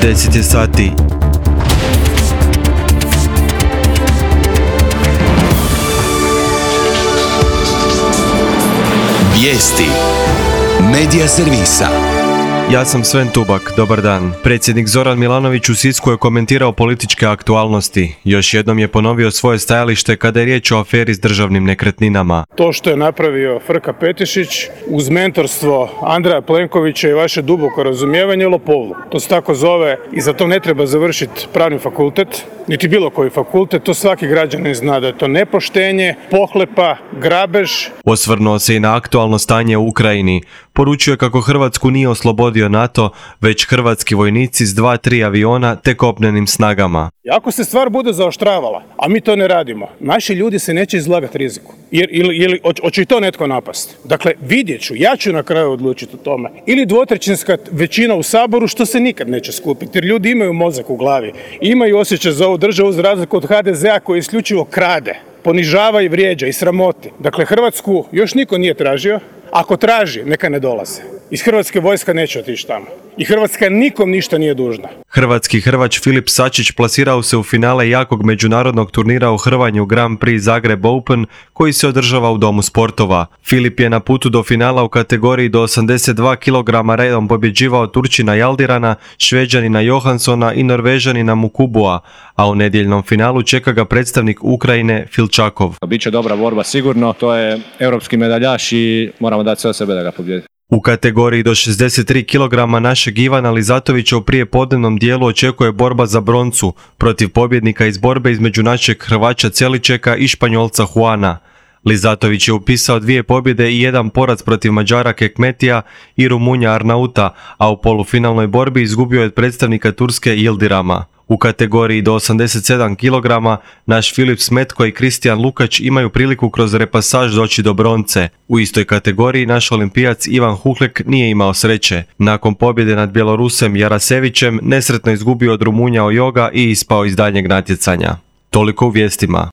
10 je sati. Vijesti Medija servisa. Ja sam Sven Tubak, dobar dan. Predsjednik Zoran Milanović u Sisku je komentirao političke aktualnosti. Još jednom je ponovio svoje stajalište kada je riječ o aferi s državnim nekretninama. To što je napravio Frka Petešić uz mentorstvo Andreja Plenkovića i vaše duboko razumijevanje je lopovluk. To se tako zove i za to ne treba završiti pravni fakultet, niti bilo koji fakultet. To svaki građanin zna da je to nepoštenje, pohlepa, grabež. Osvrnuo se i na aktualno stanje u Ukrajini. Poručio je kako Hrvatsku nije oslobodio NATO, već hrvatski vojnici s 2-3 aviona te kopnenim snagama. I ako se stvar bude zaoštravala, a mi to ne radimo, naši ljudi se neće izlagati riziku. Ili hoće i to netko napasti. Dakle, vidjet ću, ja ću na kraju odlučiti o tome. Ili dvotrećinska većina u Saboru, što se nikad neće skupiti, jer ljudi imaju mozak u glavi, imaju osjećaj za ovu državu za razliku od HDZ-a koji isključivo krade, ponižava i vrijeđa i sramoti. Dakle, Hrvatsku još niko nije tražio. Ako traži, neka ne dolaze. Iz Hrvatske vojska neće otići tamo. I Hrvatska nikom ništa nije dužna. Hrvatski hrvač Filip Sačić plasirao se u finale jakog međunarodnog turnira u hrvanju Grand Prix Zagreb Open koji se održava u Domu sportova. Filip je na putu do finala u kategoriji do 82 kg redom pobjeđivao Turčina Jaldirana, Šveđanina Johanssona i Norvežanina Mukubua, a u nedjeljnom finalu čeka ga predstavnik Ukrajine Filčakov. Biće dobra borba sigurno, to je europski medaljaš i moramo dati sve od sebe da ga pobjedi. U kategoriji do 63 kg našeg Ivana Lizatovića u prijepodnevnom dijelu očekuje borba za broncu protiv pobjednika iz borbe između našeg Hrvaća Celičeka i Španjolca Juana. Lizatović je upisao 2 pobjede i 1 poraz protiv Mađara Kekmetija i Rumunja Arnauta, a u polufinalnoj borbi izgubio je od predstavnika Turske Yildirama. U kategoriji do 87 kg naš Filip Smetko i Kristijan Lukač imaju priliku kroz repasaž doći do bronce. U istoj kategoriji naš olimpijac Ivan Huhlek nije imao sreće. Nakon pobjede nad Bjelorusem Jarasevićem nesretno izgubio od Rumunja Ojoga i ispao iz daljnjeg natjecanja. Toliko u vijestima.